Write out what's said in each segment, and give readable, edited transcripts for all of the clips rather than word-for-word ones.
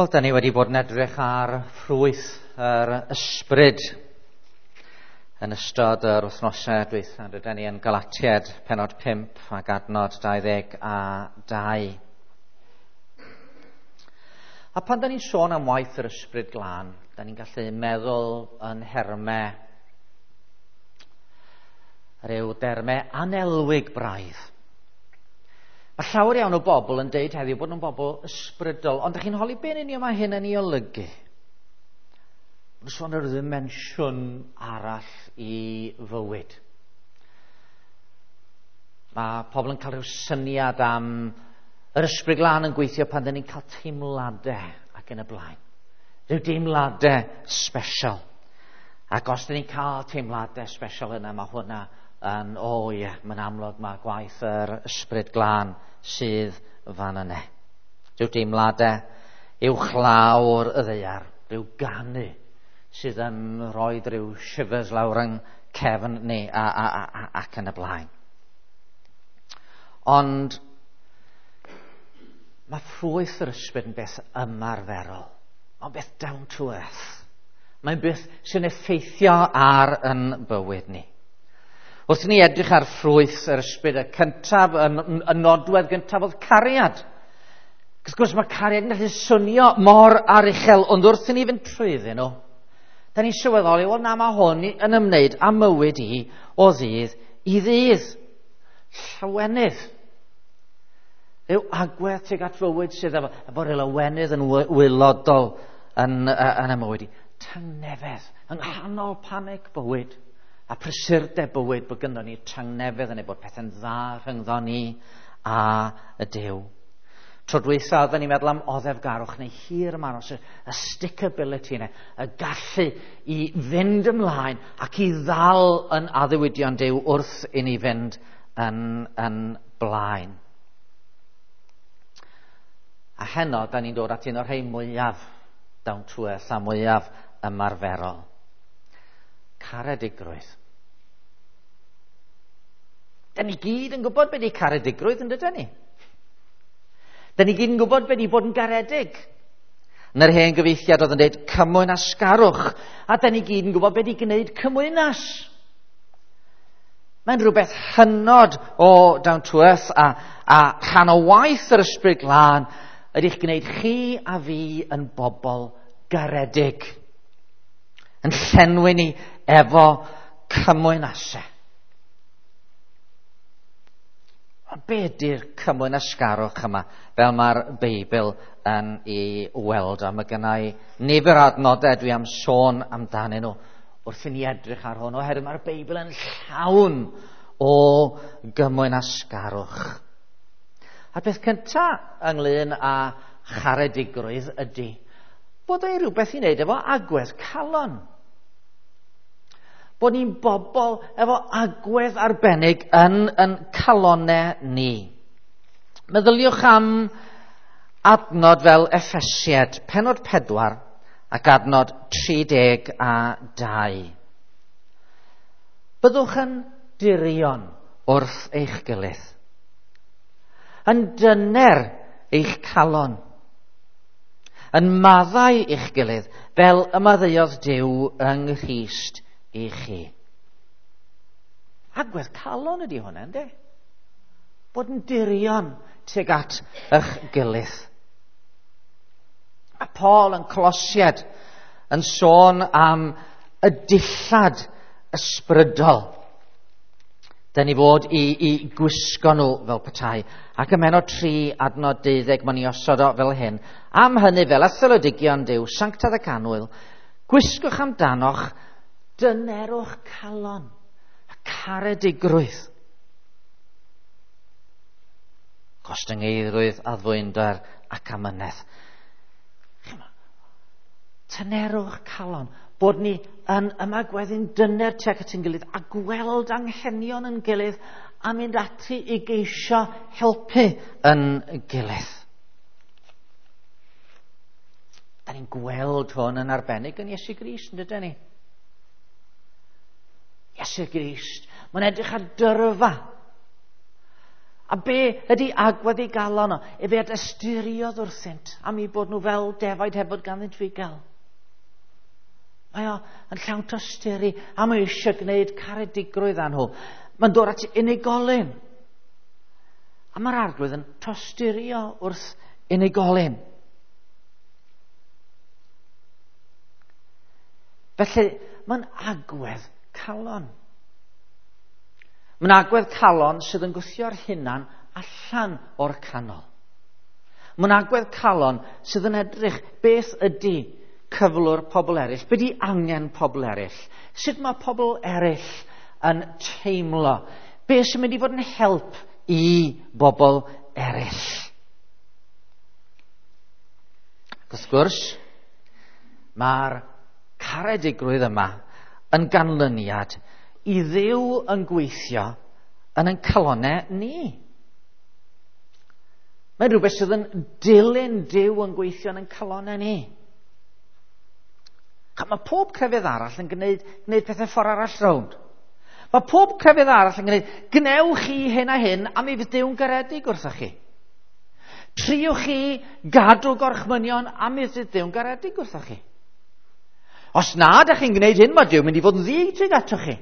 Wel, da ni wedi bod yn edrych ar ffrwyth yr ysbryd yn ystod yr wythnosau dwytha. Rydyn ni yn Galatiad penod 5 ac adnod 22. A pan da ni'n sôn am waith yr ysbryd glân, da ni'n gallu meddwl yn hermau rhyw dermau anelwig braidd. Mae llawer iawn o bobl yn deud heddiw bod nhw'n bobl ysbrydol, ond ydych chi'n holi be'n union mae hyn yn ei olygu? Mae'n sôn ar ddimensiwn arall i fywyd. Mae pobl yn cael rhyw syniad am yr ysbryd glân yn gweithio pan dyn ni'n cael teimladau ac yn y blaen. Rhyw deimladau special. Ac os dyn ni'n cael teimladau special yna, mae hwnna yn, o ie, mae'n amlwg mae gwaith yr ysbryd glân sydd fan yna. Rhyw deimladau uwchlawr y ddaear, rhyw ganu sydd yn rhoi rhyw shivers lawr yng cefn ni a, a, a, a, ac yn y blaen. Ond mae ffrwyth yr ysbryd yn beth ymarferol. Mae'n beth down to earth. Mae'n beth sy'n effeithio ar yn bywyd ni. Wrth i ni edrych ar ffrwyth yr ysbryd, y cyntaf, y nodwedd gyntaf oedd cariad. Wrth gwrs mae cariad yn gallu swnio mor aruchel, ond wrth i ni fynd trwyddyn nhw, da ni'n sylweddoli, wel na, mae hwn yn ymwneud â mywyd i o ddydd i ddydd. Llawenydd. Rhyw agwedd tuag at fywyd sydd efo, efo rhyw lawenydd yn wylodol yn, yn y mywyd i. Tangnefedd, yng nghanol panig bywyd a prysurdeb bywyd bod gynnon ni tangnefedd yn ei bod pethau'n dda rhyngddo ni a y Duw. Tro dwytha oedden ni'n meddwl am oddefgarwch neu hir ymaros, y stickability yna, y gallu i fynd ymlaen ac i ddal yn addewidion Duw wrth i ni fynd yn, yn blaen. A heno, da ni'n dod at un o'r rhai mwyaf down to earth a mwyaf ymarferol. Caredigrwydd. Da ni gyd yn gwybod beth ydy caredigrwydd, yn dydyn ni? Da ni gyd yn gwybod beth ydy bod yn garedig. Yn yr hen gyfeithiad oedd yn dweud cymwynasgarwch. A da ni gyd yn gwybod beth ydy gwneud cymwynas. Mae'n rhywbeth hynod o down to earth a, a rhan o waith yr ysbryd glân ydy'ch gwneud chi a fi yn bobl garedig. Yn llenwi ni efo cymwynasau. Ond be ydy'r cymwynasgarwch yma, fel mae'r Beibl yn ei weld? A mae gennau nifer o adnodau dwi am sôn amdanyn nhw wrth i ni edrych ar hwn, oherwydd mae'r Beibl yn llawn o gymwynasgarwch. A'r peth cyntaf ynglyn â charedigrwydd ydy bod ei rhywbeth i wneud efo agwedd calon. Bod ni'n bobl efo agwedd arbennig yn, yn calonau ni. Meddyliwch am adnod fel Effesiad, penod 4 ac adnod 32. Byddwch yn dirion wrth eich gilydd, yn dyner eich calon, yn maddau eich gilydd fel y maddeuodd Duw yng Nghrist i chi. Agwedd calon ydy hwnna, ynddi? Bod yn dirion tuag at eich gilydd. A Paul yn Colosiad yn sôn am y dillad ysbrydol. Da ni fod i, i gwisgo nhw fel petai. Ac ym mhenod 3 adnod 12 mae'n i osod o fel hyn. Am hynny fel etholodigion Duw, sanctaidd ac annwyl, gwisgwch amdanoch dynerwch calon a caredigrwydd. Gostyngeiddrwydd, addfwynder ac amynedd. Tynerwch calon, bod ni yn ymagweddu'n dyner tuag at ein gilydd a gweld anghenion yn gilydd a mynd ati i geisio helpu yn gilydd. Da ni'n gweld hwn yn arbennig yn Iesu Grist, yn dydyn ni? Iesu Grist. Mae'n edrych ar dyrfa. A be ydy agwedd ei galon o? Efe a dosturiodd wrthynt am eu bod nhw fel defaid heb fod ganddynt fugail. Mae o yn llawn tosturi a mae eisiau gwneud caredigrwydd â nhw. Mae'n dod at unigolyn. A mae'r Arglwydd yn tosturio wrth unigolyn. Felly, mae'n agwedd calon. Mae'n agwedd calon sydd yn gwthio'r hunan allan o'r canol. Mae'n agwedd calon sydd yn edrych beth ydy cyflwr pobl eraill, beth ydy angen pobl eraill, sut mae pobl eraill yn teimlo, beth sy'n mynd i fod yn help i bobl eraill. Ac wrth gwrs, mae'r caredigrwydd yma yn ganlyniad i Dduw yn gweithio yn ein calonnau ni. Mae'n rhywbeth sydd yn dilyn Duw yn gweithio yn ein calonnau ni. Mae pob crefydd arall yn gwneud pethau ffordd arall rownd. Mae pob crefydd arall yn gwneud, gwnewch chi hyn a hyn, a mi fydd Duw'n garedig wrthoch chi. Triwch chi gadw gorchmynion, a mi fydd Duw'n garedig wrthoch chi. Os na ydych chi'n gwneud hyn, mae Duw'n mynd i fod yn ddig tuag atoch chi.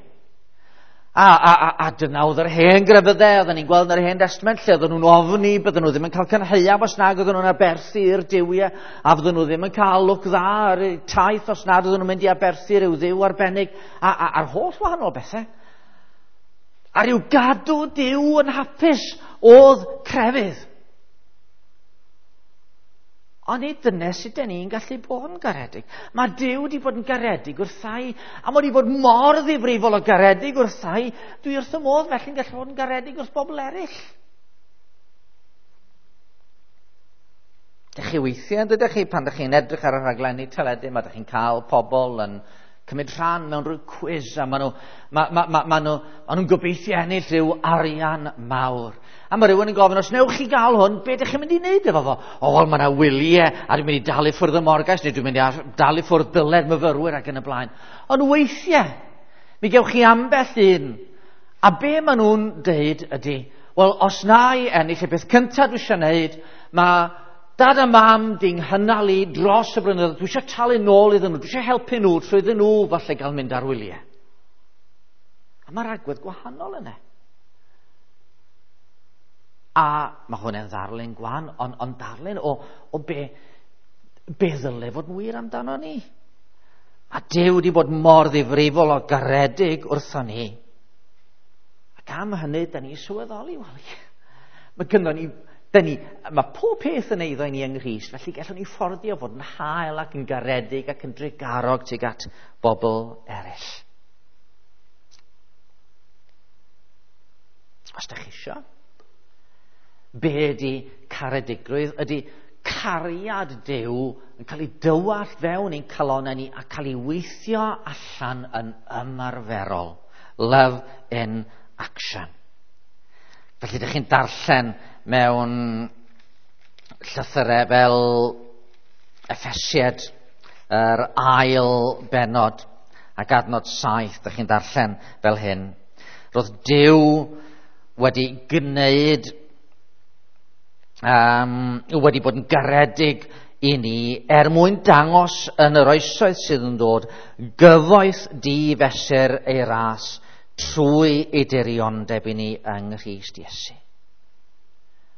A dyna oedd yr hen grefyddau, oedden ni'n gweld yn yr Hen Destament, lle oedden nhw'n ofni, bydden nhw ddim yn cael cynhaeaf os nag oedden nhw'n aberthu i'r duwiau, a fydden nhw ddim yn cael lwc dda ar eu taith os nad oedden nhw'n mynd i aberthu rhyw dduw arbennig, a'r holl wahanol bethau. A rhyw gadw Duw yn hapus oedd crefydd. Ond nid dyna sut dan ni'n gallu bod yn garedig. Mae Duw wedi bod yn garedig wrthai, a mae wedi bod mor ddifrifol o garedig wrthai, dwi wrth y modd felly'n gallu bod yn garedig wrth bobl eraill. Dych chi weithiau, yn dydych chi, pan dych chi'n edrych ar y rhaglenni teledu, mae dych chi'n cael pobl yn cymryd rhan mewn rhyw cwis, a maen nhw'n gobeithio ennill rhyw arian mawr. A mae rhywun yn gofyn, os newch chi gael hwn, be ydych chi'n mynd i wneud efo fo? O, wel, mae yna wyliau, a dwi'n mynd i dalu ffwrdd y morgais, neu dwi'n mynd i dalu ffwrdd byled myfyrwyr ac yn y blaen. Ond weithiau, mi gewch chi ambell un. A be maen nhw'n deud ydy, wel, os na i ennill y peth cyntaf dwi eisiau wneud, mae dad a mam di'n nghynnal i dros y blynyddoedd, dwi eisiau talu nôl iddyn nhw, dwi eisiau helpu nhw trwy iddyn nhw falle gael mynd ar wyliau. A mae'r agwedd gwahanol yna. A mae hwn yn ddarlun gwan, ond darlun o be ddyle fod yn wir amdano ni. A Duw wedi bod mor ddifrifol o garedig wrthon ni. Ac am hynny, da ni sylweddoli, wel, mae gynnon ni, mae pob peth yn eiddo i ni yng Nghrist, felly gallwn ni fforddio fod yn hael ac yn garedig ac yn drugarog tuag at bobl eraill. Os da chi isio, be ydy caredigrwydd? Ydy cariad Duw yn cael ei dywallt fewn i'n calonnau ni a cael ei weithio allan yn ymarferol. Love in action. Felly ydych chi'n darllen mewn llythyrau fel Effesiaid, yr ail bennod ac adnod 7, ydych chi'n darllen fel hyn. Roedd Duw wedi gwneud, wedi bod yn garedig i ni er mwyn dangos yn yr oesoedd sydd yn dod gyfoeth di-fesur ei ras trwy ei diriondeb i ni yng Nghrist Iesu.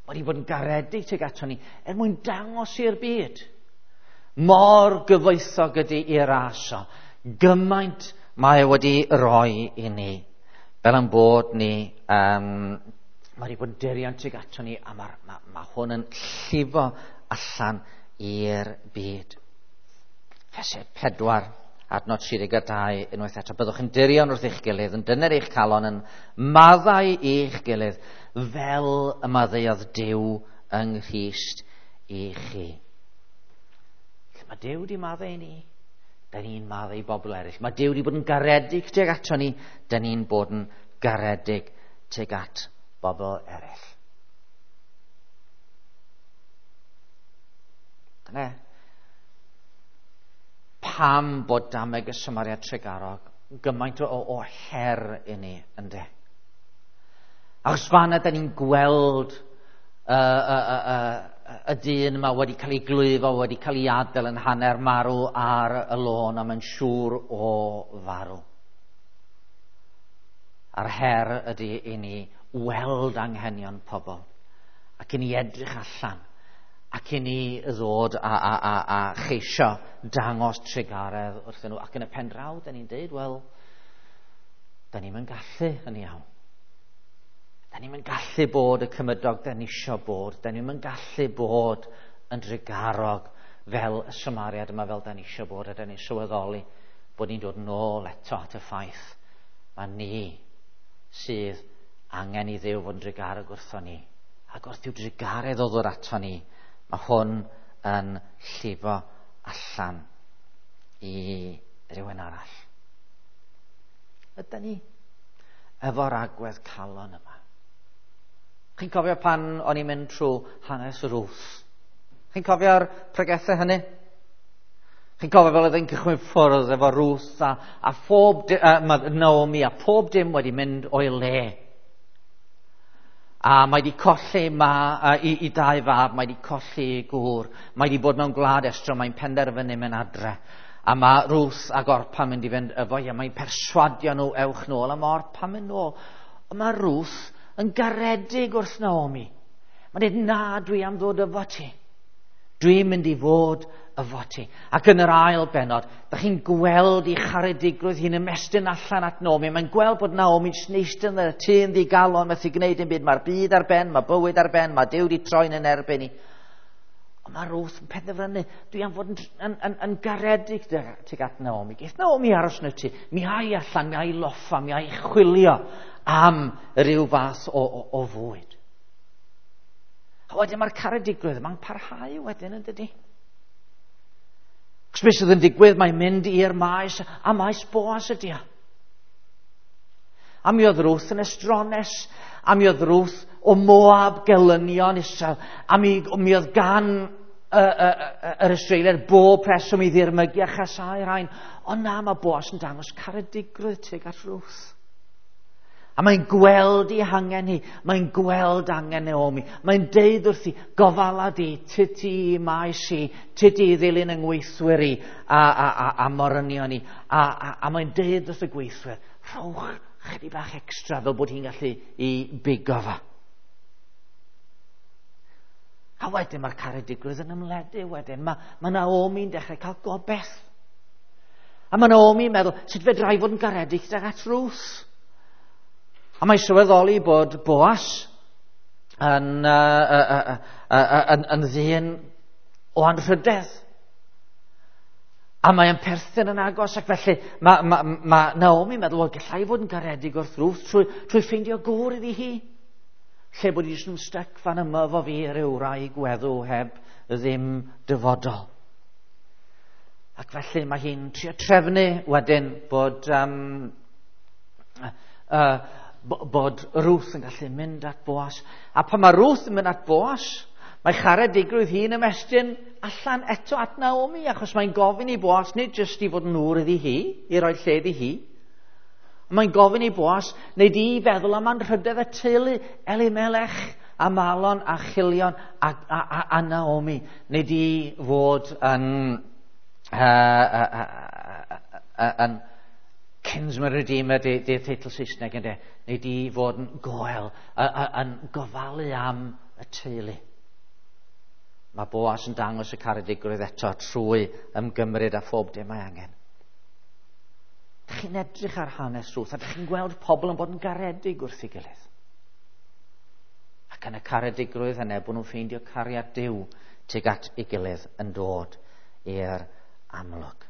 Mae wedi bod yn garedig tuag ato ni er mwyn dangos i'r byd mor gyfoethog ydy ei ras o, gymaint mae wedi roi i ni, fel yn bod ni, mae wedi bod yn dirion tuag ato ni, a mae hwn yn llifo allan i'r byd. Efesiaid 4, adnod 32, unwaith eto. Byddwch yn dirion wrth eich gilydd, yn dyner eich calon, yn maddau eich gilydd, fel y maddeuodd Duw yng Nghrist i chi. Lle mae Duw wedi maddau i ni, da ni'n maddau i bobl eraill. Mae Duw wedi bod yn garedig tuag ato ni, da ni'n bod yn garedig tuag at bobl eraill. Dyna pam bod dameg y Samariad Trugarog gymaint o her i ni, ynde? Achos fanna da ni'n gweld y dyn yma wedi cael ei glwyfo, wedi cael ei adael yn hanner marw ar y lôn, a mae'n siŵr o farw. A'r her ydy i ni weld anghenion pobl, ac i ni edrych allan, ac i ni ddod a cheisio dangos trugaredd wrthyn nhw. Ac yn y pen draw, da ni'n deud, wel, da ni'm yn gallu yn iawn. Da ni'm yn gallu bod y cymydog da ni isio bod. Da ni'm yn gallu bod yn drugarog fel y Samariad yma fel da ni isio bod. A da ni'n sylweddoli bod ni'n dod nôl eto at y ffaith mae ni sydd angen i Dduw fod yn drugarog wrtho ni. Ac wrth i'w drugaredd o ddod ato ni, mae hwn yn llifo allan i rywun arall. Ydy ni efo'r agwedd calon yma? Chi'n cofio pan o'n i'n mynd trwy hanes Ruth? Chi'n cofio'r pregethau hynny? Chi'n cofio fel oedd e'n cychwyn ffwrdd efo Ruth a phob Naomi a pob dim wedi mynd o'i le. A mae wedi colli i dau fab, mae wedi colli i gŵr, mae wedi bod mewn gwlad estron, mae'n penderfynu mynd adre. A mae Ruth ac Orpa mynd i fynd efo hi, a mae'n perswadio nhw ewch nôl, a mae Orpa mynd nôl. Ond mae Ruth yn garedig wrth Naomi. Mae'n dweud, na, dwi am ddod efo ti. Dwi'n mynd i fod efo ti. Ac yn yr ail bennod, da chi'n gweld ei charedigrwydd hi'n ymestyn allan at Naomi. Mae'n gweld bod Naomi'n eistedd yn y tŷ yn ddigalon, methu gwneud dim byd. Mae'r byd ar ben, mae bywyd ar ben, mae Duw wedi troi'n yn erbyn ni. Ond mae Ruth yn penderfynu, dwi am fod yn garedig tuag at Naomi. Geith Naomi aros yn y tŷ, mi ai allan, mi ai loffa, mi ai chwilio am ryw fath o fwyd. A wedyn mae'r caredigrwydd yma'n parhau wedyn, yn dydi? Cos beth sydd yn digwydd, mae'n mynd i'r maes, a maes Boas ydi o. A mi oedd Ruth yn estrones, a mi oedd Ruth o Moab gelynion Israel, a mi oedd gan yr Israeliaid bob rheswm i ddirmygu a chasáu rhain. Ond na, mae Boas yn dangos caredigrwydd tuag at Ruth. A mae'n gweld ei hangen hi, mae'n gweld angen Naomi. Mae'n deud wrthi, gofala di, ti ti maes i, ti ti ddilyn yng ngweithwyr i a morynion i. A mae'n deud wrth y gweithwyr, rhowch chydig bach extra fel bod hi'n gallu i bigo fo. A wedyn mae'r caredigrwydd yn ymledu wedyn. Mae Naomi'n dechrau cael gobaith. A mae Naomi'n meddwl, sut fedra i fod yn garedig tuag at Ruth? A mae sylweddoli bod Boas yn ddyn o anrhydedd. A mae'n perthyn yn agos, ac felly mae Naomi'n meddwl, wel, gallai fod yn garedig wrth Ruth trwy ffeindio gŵr iddi hi. Lle bod hi jyst yn styc fan yma efo fi ryw wraig weddw heb ddim dyfodol. Ac felly mae hi'n trio trefnu wedyn bod bod Ruth yn gallu mynd at Boas. A pan mae Ruth yn mynd at Boas, mae charedigrwydd hi'n ymestyn allan eto at Naomi, achos mae'n gofyn i Boas nid jyst i fod yn ŵr iddi hi, i roi lle iddi hi. Mae'n gofyn i Boas wneud i feddwl am anrhydedd y teulu, Elimelech a Malon a Chilion a Naomi, wneud i fod yn Kinsman Redeemer, di'r teitl Saesneg ynddo, neu di fod yn goel, yn gofalu am y teulu. Mae Boas yn dangos y caredigrwydd eto trwy ymgymryd â phob dim mae angen. Dych chi'n edrych ar hanes Ruth a dych chi'n gweld pobl yn bod yn garedig wrth ei gilydd. Ac yn y caredigrwydd yna, bod nhw'n ffeindio cariad Duw tuag at ei gilydd yn dod i'r amlwg.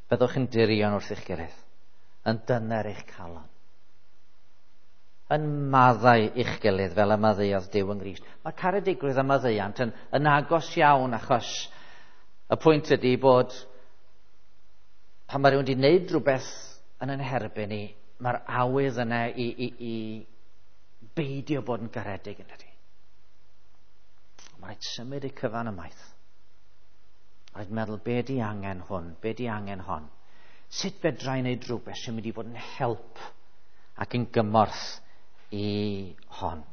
Byddwch yn dirion wrth eich gilydd, yn dyner eich calon, yn maddau eich gilydd fel y maddeuodd Duw yng Nghrist. Mae caredigrwydd a maddeuant yn agos iawn, achos y pwynt ydy bod pan mae rhywun wedi gwneud rhywbeth yn ein herbyn ni, mae'r awydd yna i beidio bod yn garedig yn dydi. Mae'n rhaid symud y cyfan ymaith. Rhaid meddwl, be di angen hwn? Be di angen hon? Sut fedra i wneud rhywbeth sy'n mynd i fod yn help ac yn gymorth i hon.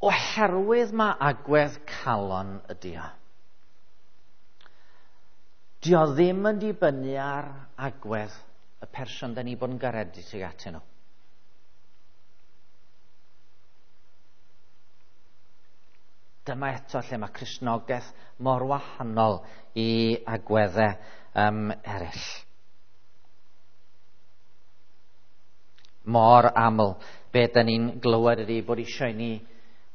Oherwydd mae agwedd calon ydi o. Di o ddim yn dibynnu ar agwedd y person da ni bod yn garedig tuag atyn nhw. Dyma eto lle mae Cristnogaeth mor wahanol i agweddau eraill. Mor aml, be da ni'n glywed ydy bod eisiau ni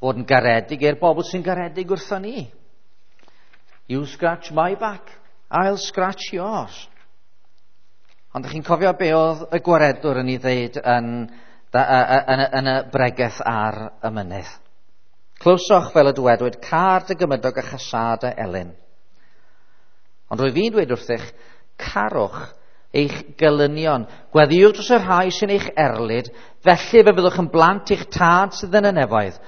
fod yn garedig i'r bobl sy'n garedig wrtho ni. You scratch my back, I'll scratch yours. Ond ydych chi'n cofio be oedd y gwaredwr yn ei ddeud yn y bregeth ar y mynydd? Clywsoch fel y dywedwyd, car dy gymydog a chasâd y elyn. Ond rwyf fi'n dweud wrthych, carwch eich gelynion. Gweddïwch dros y rhai sy'n eich erlid, felly fe fyddwch yn blant i'ch tad sydd yn y nefoedd.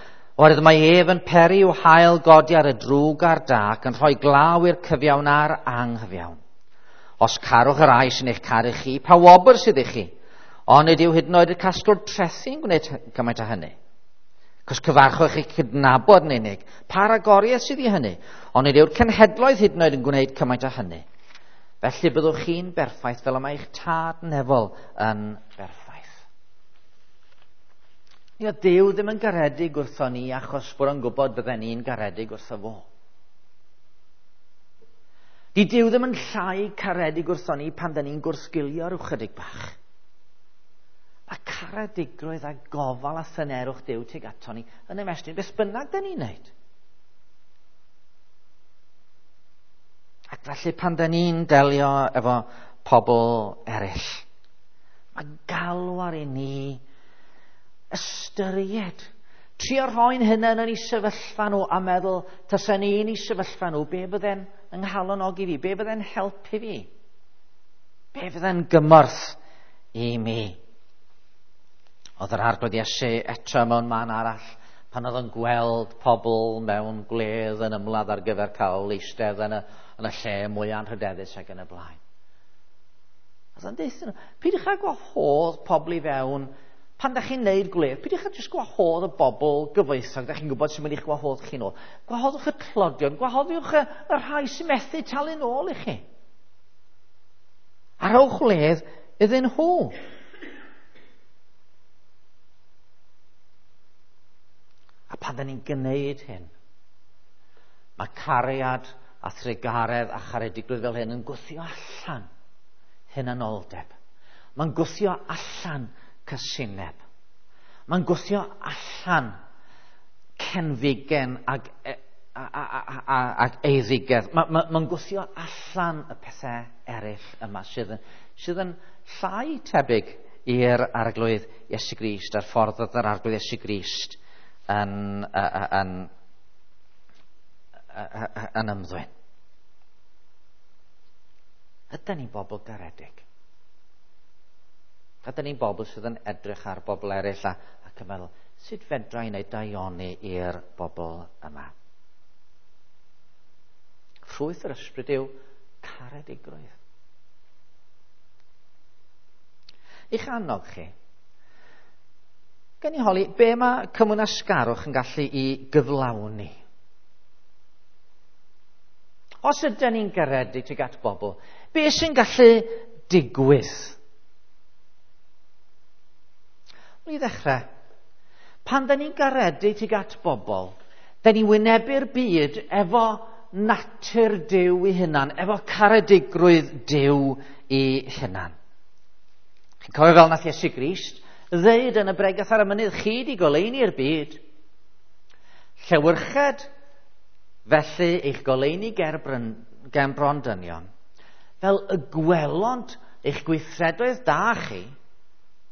Oherwydd mae ef yn peri i'w haul godi ar y drwg a'r da ac yn rhoi glaw i'r cyfiawn a'r anghyfiawn. Os carwch y rhai sy'n eich caru chi, pa wobr sydd i chi? Ond nid yw hyd yn oed y casglwr trethi'n gwneud gymaint â hynny. Cos cyfarchwch eich cydnabod yn unig, pa ragoriaeth sydd i hynny? Ond nid yw'r cenhedloedd hyd yn oed yn gwneud cymaint â hynny. Felly byddwch chi'n berffaith fel y mae eich tad nefol yn berffaith. Ia, Duw ddim yn garedig wrtho ni achos bod o'n gwybod bydden ni'n garedig wrtho fo. Di Duw ddim yn llai caredig wrtho ni pan da ni'n gwrthgilio rhyw chydig bach. Mae caredigrwydd a gofal a thynerwch Duw tuag ato ni yn ymestyn beth bynnag da ni'n neud. Ac felly pan da ni'n delio efo pobl eraill, mae galw ar i ni ystyried. Trio rhoi'n hunain yn ei sefyllfa nhw a meddwl, tasa ni yn ei sefyllfa nhw, be fydde'n yng nghalonnogi fi? Be fydde'n helpu fi? Be fydde'n gymorth i mi? Oedd yr Arglwydd Iesu eto mewn man arall pan oedd yn gweld pobl mewn gwledd yn ymladd ar gyfer cael eistedd yn y lle mwy anrhydeddus ac yn y blaen. Oedd o'n deutha nhw, peidiwch â gwahodd pobl i fewn pan da chi'n neud gwledd, peidiwch â jyst gwahodd y bobl gyfoethog, da chi'n gwybod sy'n mynd i'ch gwahodd chi nôl. Gwahoddwch y tlodion, gwahoddiwch y rhai sy'n methu talu nôl i chi. A rhowch wledd iddyn nhw. A pan da ni'n gwneud hyn, mae cariad a thrugaredd a charedigrwydd fel hyn yn gwthio allan hunanoldeb. Mae'n gwthio allan cysineb. Mae'n gwthio allan cenfigen ac eiddigedd. Mae'n gwthio allan y pethau eraill yma sydd yn llai tebyg i'r Arglwydd Iesu Grist a'r ffordd oedd yr Arglwydd Iesu Grist yn ymddwyn. Ydyn ni'n bobl garedig? Ydyn ni'n bobl sydd yn edrych ar bobl eraill ac yn meddwl, sut fedra i wneud daioni i'r bobl yma? Ffrwyth yr ysbryd yw caredigrwydd. Ich annog chi, gen i holi, be mae cymwynasgarwch yn gallu i gyflawni? Os ydyn ni'n garedig tuag at bobl, be sy'n gallu digwydd? Wel, i ddechrau, pan da ni'n garedig tuag at bobl, da ni'n wynebu'r byd efo natur Duw ei hunan, efo caredigrwydd Duw ei hunan. Chi'n cofio fel nath Iesu Grist ddeud yn y bregeth ar y mynydd, chi di goleuni'r byd. Llewyrched felly eich goleuni ger bron dynion, fel y gwelont eich gweithredoedd da chi,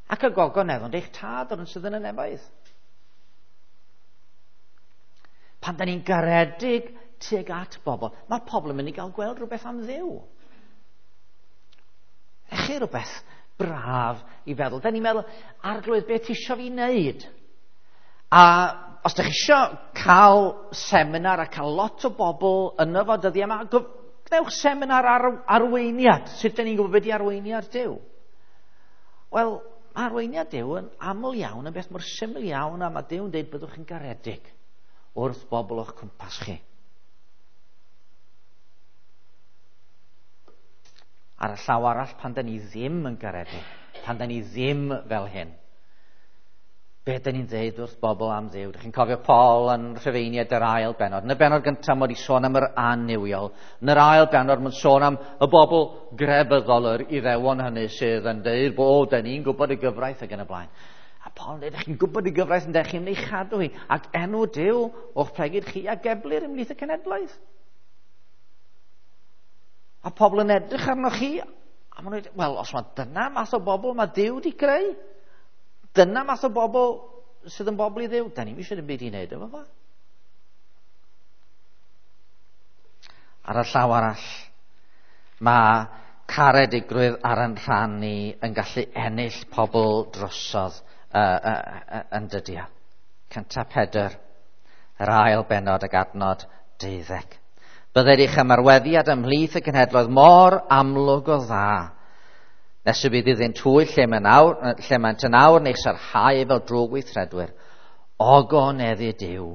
ac y gogoneddont eich tad o'r un sydd yn y nefoedd. Pan da ni'n garedig tuag at bobl, mae pobl yn mynd i gael gweld rhywbeth am Dduw. Ech chi rhywbeth braf i feddwl. Da ni'n meddwl, Arglwydd, beth ti isio fi wneud? A os da chi isio cael seminar a cael lot o bobl yno fo dyddiau yma, Gwnewch seminar ar arweiniad. Sut dyn ni'n gwybod beth di arweiniad Duw? Wel, mae arweiniad Duw yn aml iawn yn beth mor syml iawn, a mae Duw yn dweud byddwch yn garedig wrth bobl o'ch cwmpas chi. Ar y llaw arall, pan da ni ddim yn garedig, pan da ni ddim fel hyn, be da ni'n dweud wrth bobl am Dduw? Dych chi'n cofio Paul yn Rhufeiniaid yr ail bennod. Yn y bennod gyntaf mae wedi sôn am yr annuwiol. Yn yr ail bennod mae'n sôn am y bobl grefyddol, yr Iddewon hynny sydd yn dweud bod da ni'n gwybod y gyfraith ac yn y blaen. A Paul yn dweud, chi'n gwybod y gyfraith yn dweud, chi'n ei chadw hi. Ac enw Duw o'ch plegid chi a geblir ymhlith y cenedlaeth. A pobl yn edrych arnoch chi, a maen nhw'n dweud, wel, os mae dyna math o bobl mae Duw wedi creu, dyna math o bobl sydd yn bobl i Dduw, da ni'm eisiau ddim byd i wneud efo fo. Ar y llaw arall, mae caredigrwydd ar yn rhan ni yn gallu ennill pobl drosodd yn dydi o. 1 Pedr, yr ail bennod ag adnod 12. Bydded eich ymarweddiad ymhlith y cenhedloedd mor amlwg o dda, nes y bydd iddynt hwy lle maent yn awr neu sarhau fel drwg weithredwyr, ogoneddu Duw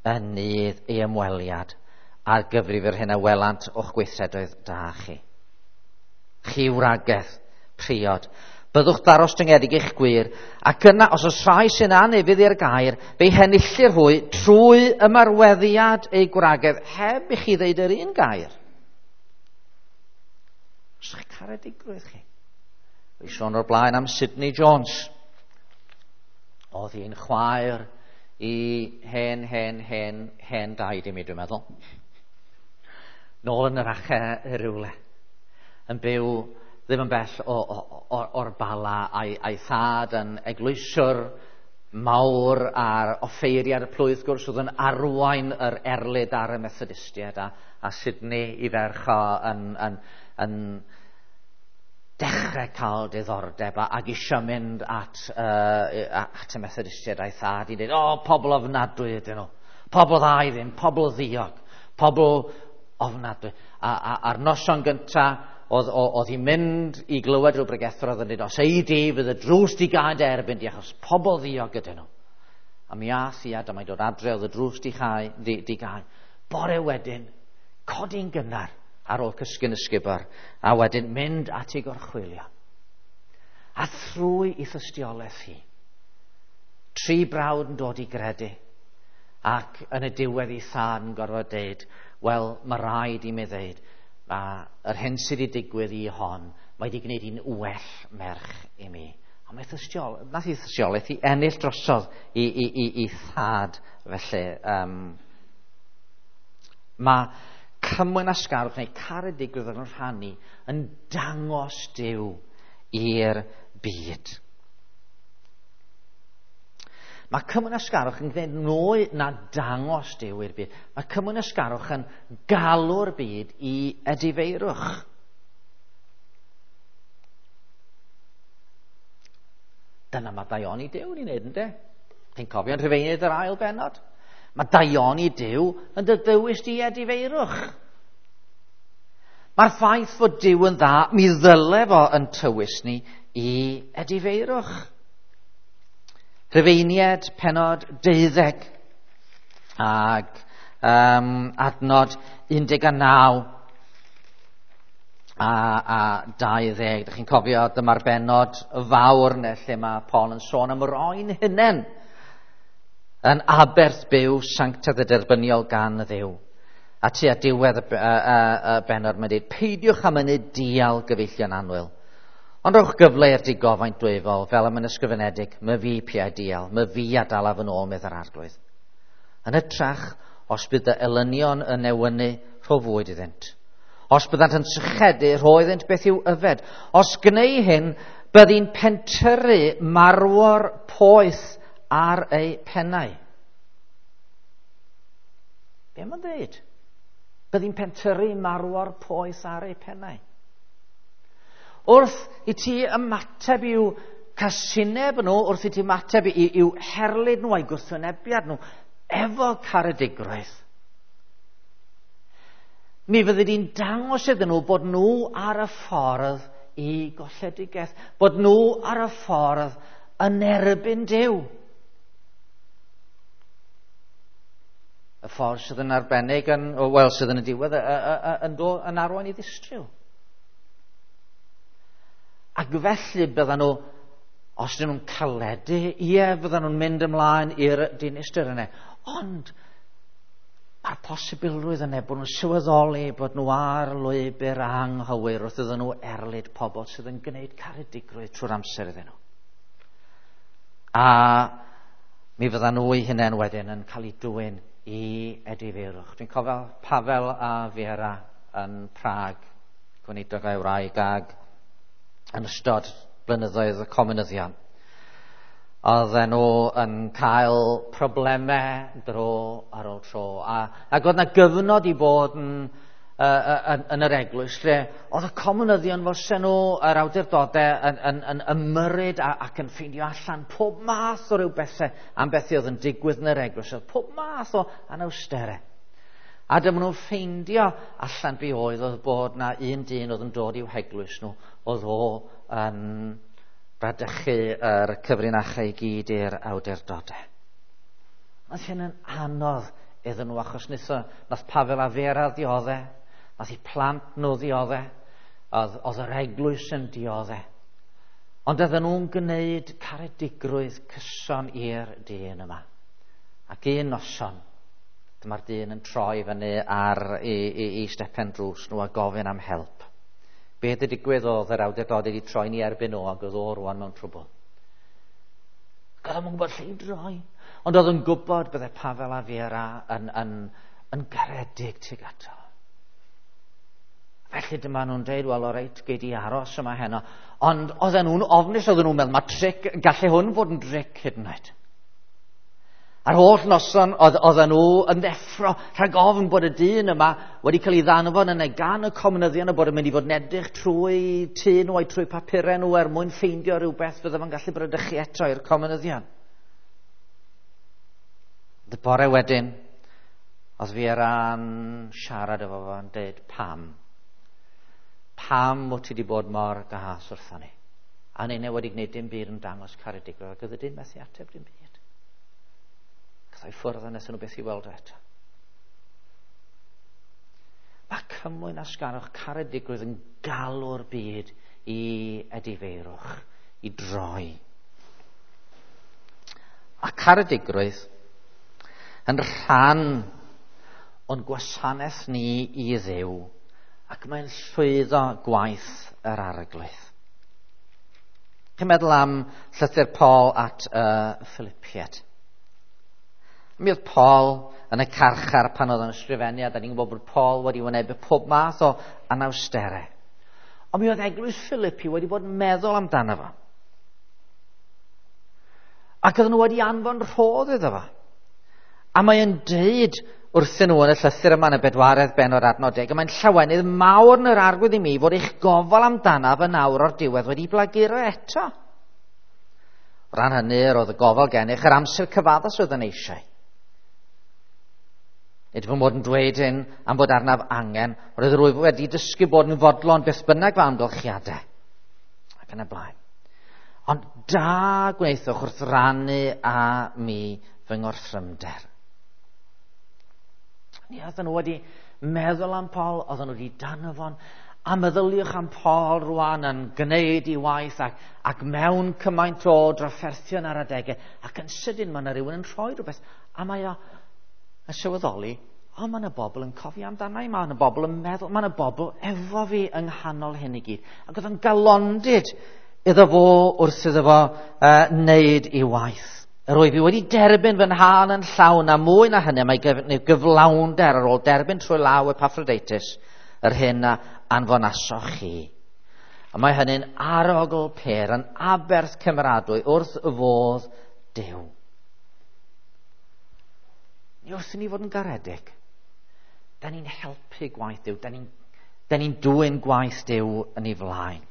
yn nydd ei ymweliad ar gyfrif yr hyn a welant o'ch gweithredoedd da chi. Chi wragedd, priod, byddwch ddarostyngedig eich gwir, ac yna os oes rhai sy'n anufudd i'r gair, fe'i henillir hwy trwy ymarweddiad eu gwragedd, heb i chi ddeud yr un gair. Os ydych caredigrwydd chi. Fi sôn o'r blaen am Sidney Jones. Oedd hi'n chwaer i hen, hen, hen, hen daid i mi, dwi'n meddwl. Nôl yn yr ache rywle. Yn byw ddim yn bell o'r Bala, a'i thad yn eglwyswr mawr a'r offeiriad y plwyth, gwrs, oedd yn arwain yr erlid ar y Methodistiaid, a Sidney i ferch o yn dechrau cael diddordeb ac eisiau mynd at y Methodistiaid a'i thad i dweud, o, pobl ofnadwy ydyn nhw, pobl dda i ddim, pobl ddiog, pobl ofnadwy. A'r noson gyntaf, oedd hi'n mynd i glywed rhyw bregethwr oedd yn dweud, os ei di, fydd y drws di gau dy erbyn di, achos pobl ddiog ydyn nhw. A mi ath hi, a dyma'i dod adre, oedd y drws di gau. Bore wedyn, codi'n gynnar ar ôl cysgu'n ysgubor, a wedyn mynd at ei gorchwylio. A thrwy ei thystiolaeth hi, tri brawd yn dod i gredu, ac yn y diwedd ei thad yn gorfod deud, wel, mae rhaid i mi ddeud, mae yr hyn sydd wedi digwydd i hon, mae wedi gwneud hi'n well merch i mi. A mae nath ei thystiolaeth i ennill drosodd i thad felly. Mae cymwynasgarwch neu caredigrwydd yn rhannu yn dangos Duw i'r byd. Mae cymwynasgarwch yn gwneud mwy na dangos Duw i'r byd. Mae cymwynasgarwch yn galw'r byd i edifeirwch. Dyna mae daioni Duw yn ei wneud, ynde? Chi'n cofio'n Rhufeiniaid yr ail bennod? Mae daioni Duw yn dy ddewis di edifeirwch. Mae'r ffaith fod Duw yn dda, mi ddyle fo yn tywys ni i edifeirwch. Rhufeiniaid pennod 12 ag adnod 19 a 20. Dych chi'n cofio dyma'r bennod fawr neu lle mae Paul yn sôn am roi'n hunain yn aberth byw sanctaidd a derbyniol gan Dduw. A tua diwedd y bennod mae'n dweud, peidiwch am mynnu dial gyfeillion annwyl, ond rhowch gyfle i'r digofaint dwyfol, fel am yn ysgrifenedig, my fi piau dial, my fi a dalaf yn ôl, medd yr arglwydd. Yn hytrach, os bydd dy elynion yn newynu, rho fwyd iddynt. Os byddant yn sychedu, rho iddynt beth i'w yfed. Os gneu hyn, byddi'n pentyrru marwor poeth ar eu pennau. Be mae'n dweud? Byddi'n pentyrru marwor poeth ar eu pennau. Wrth i ti ymateb i'w casineb nhw, wrth i ti ymateb i'w herlid nhw a'i gwrthwynebiad nhw, efo caredigrwydd, Mi fyddi di'n dangos iddyn nhw bod nhw ar y ffordd i golledigaeth, bod nhw ar y ffordd yn erbyn Duw. Y ffordd sydd yn arbennig, yn, wel, sydd yn y diwedd yn, yn arwain i ddistryw. Ac felly byddan nhw, os dyn nhw'n caledu, ie, fyddan nhw'n mynd ymlaen i'r dinistr yna. Ond mae'r posibilrwydd yna bod nhw'n sylweddoli bod nhw ar lwybr anghywir wrth iddyn nhw erlid pobl sydd yn gwneud caredigrwydd trwy'r amser iddyn nhw. A mi fyddan nhw eu hunain wedyn yn cael eu dwyn i edifeirwch. Dwi'n cofio Pavel a Vera yn Prag, gweinidog a'i wraig, ag yn ystod blynyddoedd y comunyddion. Oedden nhw yn cael problemau dro ar ôl tro. Ac oedd yna gyfnod i bod yn, yn yr eglwys lle oedd y comunyddion fel sen nhw, yr awdurdodau, yn ymyrryd ac yn ffeindio allan pob math o ryw bethau am bethau oedd yn digwydd yn yr eglwys. Oedd pob math o anawsterau. A dyma nhw'n ffeindio allan be oedd bod na un dyn oedd yn dod i'w heglwys nhw, oedd o yn bradychu yr cyfrinachau i gyd i'r awdurdodau. Oedd hyn yn anodd iddyn nhw, achos nath Pavel a Vera ddioddau, nath eu plant nhw ddioddau, oedd yr eglwys yn dioddau. Ond oedden nhw'n gwneud caredigrwydd cyson i'r dyn yma. Ac un noson, dyma'r dyn yn troi fyny ar i stepen drws nhw a gofyn am help. Be wedi digwydd oedd yr awdurdodau wedi troi ni erbyn nhw ac oedd o rwan mewn trwbl. Ac oedd o'n gwybod lle i droi. Ond oedd yn gwybod bydde Pavel a Vera yn garedig tuag ato. Felly dyma nhw'n dweud, wel, o reit, gei di aros yma heno. Ond oedden nhw'n ofnus, oedden nhw'n meddwl, mae tric, gallai hwn fod yn dric hyd yn oed. A'r holl noson oedden nhw yn ddeffro rhag ofn bod y dyn yma wedi cael ei ddanfon yna gan y comunyddion a bod yn mynd i fod yn edrych trwy tŷ nhw a'i trwy papurau nhw er mwyn ffeindio rhywbeth fydde fo'n gallu bradychu eto i'r comunyddion. Y bore wedyn, oedd Vera'n siarad efo fo yn dweud pam. Pam wyt ti wedi bod mor gas wrtho ni? A ninne wedi gwneud dim byd yn dangos caredigrwydd, ac oedd y dyn methu ateb dim byd. Gath o'i ffwrdd a wnaethon nhw beth i weld o eto. Mae cymwynasgarwch caredigrwydd yn galw'r byd i edifeirwch, i droi. Mae caredigrwydd yn rhan o'n gwasanaeth ni i Dduw, ac mae'n llwyddo gwaith yr Arglwydd. Chi'n meddwl am llythyr Paul at y Philippiaid. Mi oedd Paul yn y carchar pan oedd yn ysgrifennu, a da ni'n gwybod bod Paul wedi wynebu pob math o anawsterau. Ond mi oedd eglwys Philippi wedi bod yn meddwl amdano fo. Ac oedden nhw wedi anfon rhodd iddo fo. A mae'n deud wrthyn nhw yn y llythyr yma yn y 4 bennod adnod 10, a mae'n llawenydd mawr yn yr Arglwydd i mi fod eich gofal amdanaf yn awr o'r diwedd wedi blaguro eto. O ran hynny, yr oedd y gofal gennych yr amser cyfaddas oedd yn eisiau. Nid fy mod yn dweud hyn am fod arnaf angen, roedd rwyf wedi dysgu bod yn fodlon beth bynnag fy amgylchiadau. Ac yn y blaen. Ond da gwnaethoch wrth rannu â mi fy ngorthrymder. Ni oedden nhw wedi meddwl am Paul, oedden nhw wedi danfon, a meddyliwch am Paul rwan yn gwneud ei waith ac mewn cymaint o drafferthion ar adegau, ac yn sydyn mae yna rhywun yn rhoi rhywbeth, a mae o yn sylweddoli, o, mae yna bobl yn cofio amdana i, mae yna bobl yn meddwl, mae yna bobl efo fi yng nghanol hyn i gyd. Ac oedd yn galondid iddo fo wrth iddo fo wneud ei waith. Yr wyf i wedi derbyn fy nhâl yn llawn, a mwy na hynny, mae gyflawnder ar ôl derbyn trwy law Epaphroditus yr hyn a anfonasoch chi. A mae hynny'n arogl pêr, yn aberth cymeradwy wrth fodd Duw. Ni wrth i ni fod yn garedig, da ni'n helpu gwaith Duw, da ni'n dwyn gwaith Duw yn ei flaen.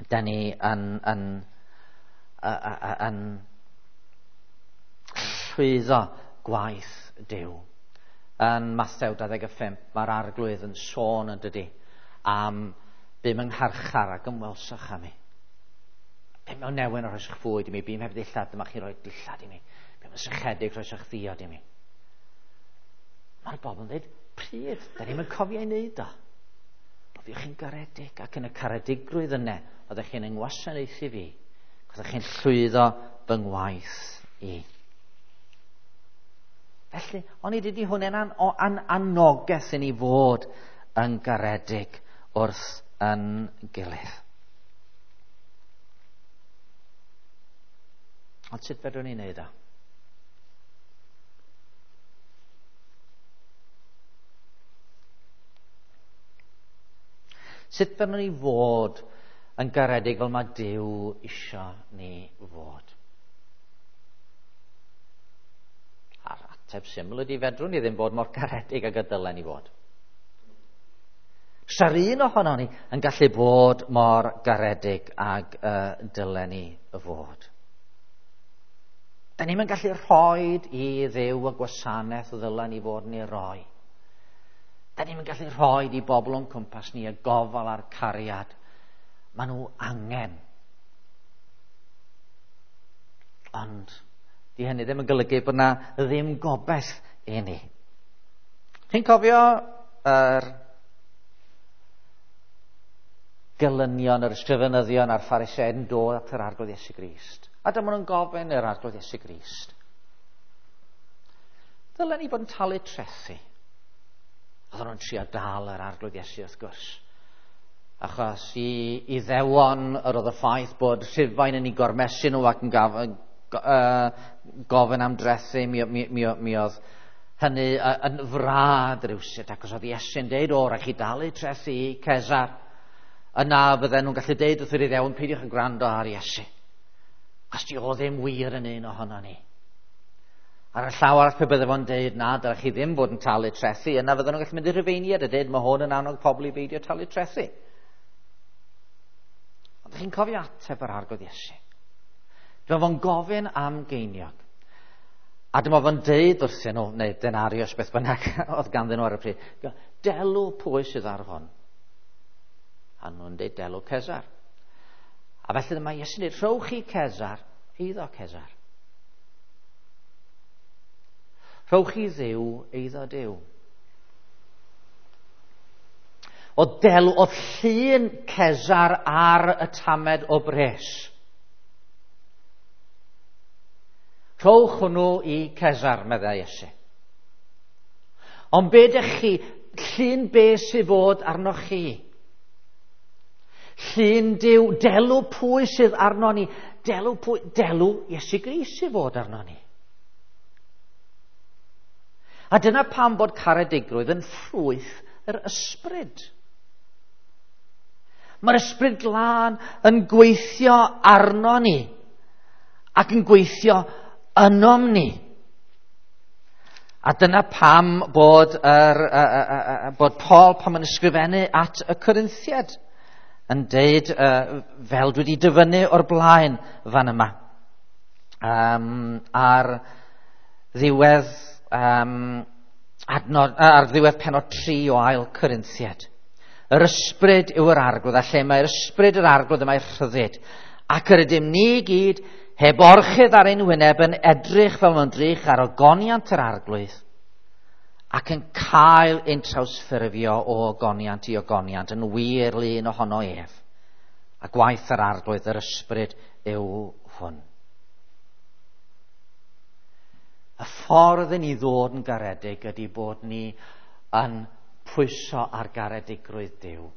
Da ni yn llwyddo gwaith Duw. Yn Mathew 25, mae'r arglwydd yn sôn yn dydy am bum yng ngharchar ac ymwelsoch â mi. Bum mewn newyn o rhoes fwyd i mi, bum heb ddillad, dyma chi roi dillad i mi. Bum yn sychedig rhoes ddiod i mi. Mae'r bobl yn dweud, pryd? Da ni'n cofio ei wneud o. Oedd chi'n garedig ac yn y caredigrwydd yna, oeddech chi'n yngwasanaethu fi, oeddech chi'n llwyddo fy ngwaith i. Felly, o'n i dydy hwn yn an, an anogaeth i ni fod yn garedig wrth yn gilydd. Ond sut fedrwn ni wneud o? Sut fedrwn ni fod yn garedig fel mae Duw isio ni fod? A'r ateb syml ydy fedrwn ni ddim bod mor garedig ag y dylen ni fod. Sa'r un ohono ni yn gallu bod mor garedig ag y dylen ni fod. Da ni'n gallu rhoi i Dduw y gwasanaeth ddylen ni fod yn ei roi. Da ni'n gallu rhoi i bobl o'n cwmpas ni y gofal a'r cariad. Maen nhw angen. Ond di hynny ddim yn golygu bod na ddim gobaith i ni. Chi'n cofio yr gelynion, yr ysgrifenyddion a'r Phariseaid yn dod at yr Arglwydd Iesu Grist. A dyma nhw'n gofyn i'r Arglwydd Iesu Grist. Dylen ni fod yn talu trethi. Oedden nhw'n trio dal yr Arglwydd Iesu wrth gwrs. Achos i Iddewon yr oedd y ffaith bod Rhufain yn ei gormesu nhw ac yn gofyn am drethu, mi, mi, mi, mi oedd hynny yn frad rywsut, ac os oedd Iesu'n deud, o, rhaid chi dalu trethu i Cesar, yna fydden nhw'n gallu deud wrth yr Iddewon, peidiwch yn gwrando ar Iesu. Achos di o ddim wir yn un ohono ni. Ar y llaw arall pe bydde fo'n deud na, dylech chi ddim fod yn talu trethi, yna fydden nhw'n gallu mynd i'r Rhufeiniaid a deud mae hwn yn annog pobl i beidio talu trethi. Ond chi'n cofio ateb yr Arglwydd Iesu. Dyma fo'n gofyn am geiniog. A dyma fo'n deud wrthyn nhw, neu denarius beth bynnag oedd ganddyn nhw ar y pryd, delw pwy sydd ar hwn? A nhw'n deud delw Cesar. A felly dyma Iesu'n deud, rhowch chi Cesar, eiddo Cesar. Rhowch i Dduw eiddo Duw. O delw, oedd llun Cesar ar y tamed o bres. Rhowch hwnnw i Cesar, meddai Iesu. Ond be dych chi, llun be sydd fod arnoch chi? Llun Duw, delw pwy sydd arno ni? Delw pwy, delw Iesu Grist sydd fod arno ni. A dyna pam bod caredigrwydd yn ffrwyth yr ysbryd. Mae'r ysbryd glân yn gweithio arno ni ac yn gweithio ynom ni. A dyna pam bod, bod Paul pan yn ysgrifennu at y Corinthiaid yn deud, fel dwi wedi dyfynnu o'r blaen fan yma, ar ddiwedd ar ddiwedd pennod 3 o ail Corinthiaid. Yr ysbryd yw yr arglwydd, a lle mae'r ysbryd yr arglwydd y mae rhyddid. Ac yr ydym ni gyd heb orchudd ar ein wyneb yn edrych fel mewn drych ar ogoniant yr arglwydd ac yn cael ein trawsffurfio o ogoniant i ogoniant yn wir lun ohono ef. A gwaith yr arglwydd yr ysbryd yw hwn. Y ffordd i ni ddod yn garedig ydy bod ni yn pwyso ar garedigrwydd Duw,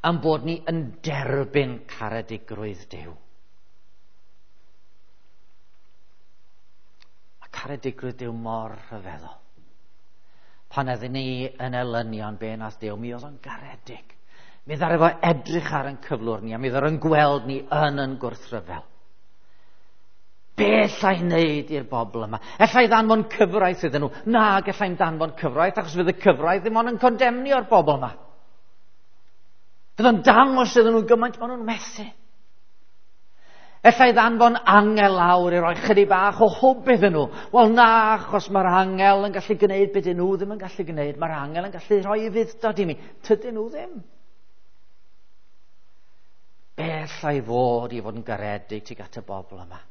yn bod ni yn derbyn caredigrwydd Duw. Mae caredigrwydd Duw mor rhyfeddol. Pan oeddwn ni yn elynion be nath Duw, mi oedd o'n garedig. Mi ddaru fo edrych ar ein cyflwr ni, a mi ddaru o'n gweld ni yn gwrthryfel. Be allai wneud i'r bobl yma? Ella i ddanfon cyfraith iddyn nhw. Na, gallai'm danfon cyfraith, achos fydd y cyfraith ddim ond yn condemnio'r bobl yma. Fydd o'n dangos iddyn nhw gymaint maen nhw'n methu. Ella i ddanfon angel lawr i roi chydig bach o hwb iddyn nhw. Wel na, achos mae'r angel yn gallu gwneud beth dyn nhw ddim yn gallu gwneud. Mae'r angel yn gallu rhoi ufudd-dod i mi. Tydyn nhw ddim. Be alla i fod i fod yn garedig tuag at y bobl yma?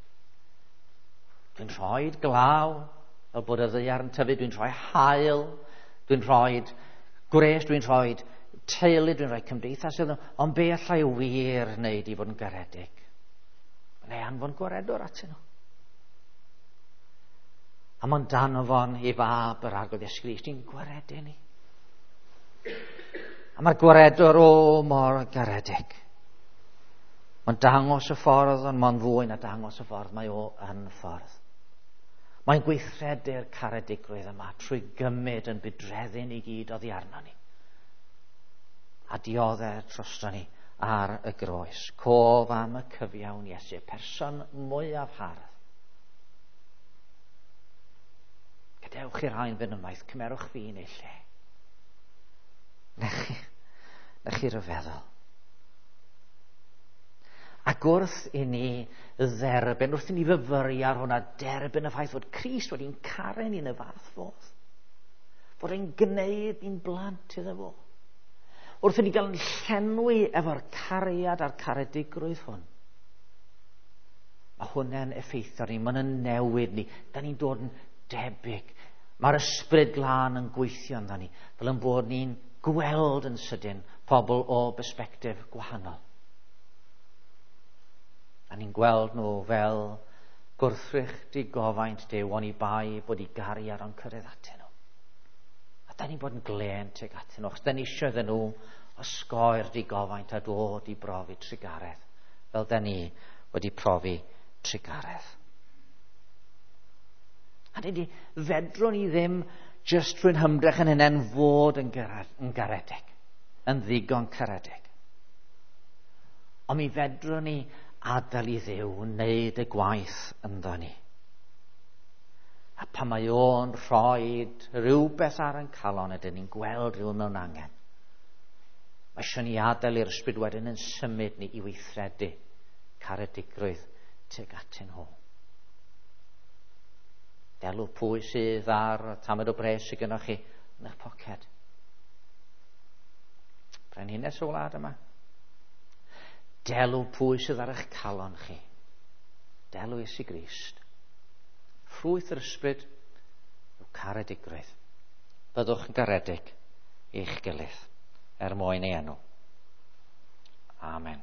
Dwi'n rhoi glaw, fel bod y ddaear yn tyfu, dwi'n rhoi haul, dwi'n rhoi gwres, dwi'n rhoi teulu, dwi'n rhoi cymdeithas iddyn nhw, ond be alla i wir wneud i fod yn garedig? Neu anfon gwaredwr atyn nhw. A mae'n danfon i fab yr Arglwydd Iesu Grist i'n gwaredu ni. A mae'r gwaredwr o mor garedig. Mae'n dangos y ffordd, ond mae'n fwy na dangos y ffordd, mae o yn ffordd. Mae'n gweithredu'r caredigrwydd yma trwy gymryd yn budreddu ni gyd oddi arno ni. A dioddef drosto ni ar y groes. Cof am y cyfiawn Iesu, person mwyaf hardd. Gadewch i'r rhain fynd ymaith, cymerwch fi yn ei lle. Na chi ryfeddol. Ac wrth i ni dderbyn, wrth i ni fyfyru ar hwnna, derbyn y ffaith fod Crist wedi'n caru ni yn y fath fodd. Fod e'n gwneud ni'n blant iddo fo. Wrth i ni gael yn llenwi efo'r cariad a'r caredigrwydd hwn. Mae hwnna'n effeithio ni, mae'n newid ni. Da ni'n dod yn debyg. Mae'r ysbryd glân yn gweithio ynddo ni, fel yn bod ni'n gweld yn sydyn pobl o bersbectif gwahanol. A ni'n gweld nhw fel gwrthrych digofaint Duw, oni bai bod i gariad o'n cyrraedd atyn nhw. A da ni'n bod yn glên tuag atyn nhw, achos da ni eisiau iddyn nhw osgoi'r digofaint a dod i brofi trugaredd, fel da ni wedi profi trugaredd. A dydy, fedrwn ni ddim jyst trwy'n hymdrech yn hynny'n fod yn garedig, yn ddigon caredig. Ond mi fedrwn ni adael i Dduw wneud y gwaith ynddo ni. A pan mae o'n rhoi rhywbeth ar ein calon, ydyn ni'n gweld rhywun mewn angen. Mae eisiau ni adael i'r ysbryd wedyn yn symud ni i weithredu caredigrwydd tuag atyn nhw. Delw pwy sydd ar y tamed o bres sydd gennych chi yn eich poced. Brenhines y wlad yma. Delw pwy sydd ar eich calon chi. Delw Iesu Grist. Ffrwyth yr ysbryd yw caredigrwydd. Byddwch yn garedig i'ch gilydd er mwyn ei enw. Amen.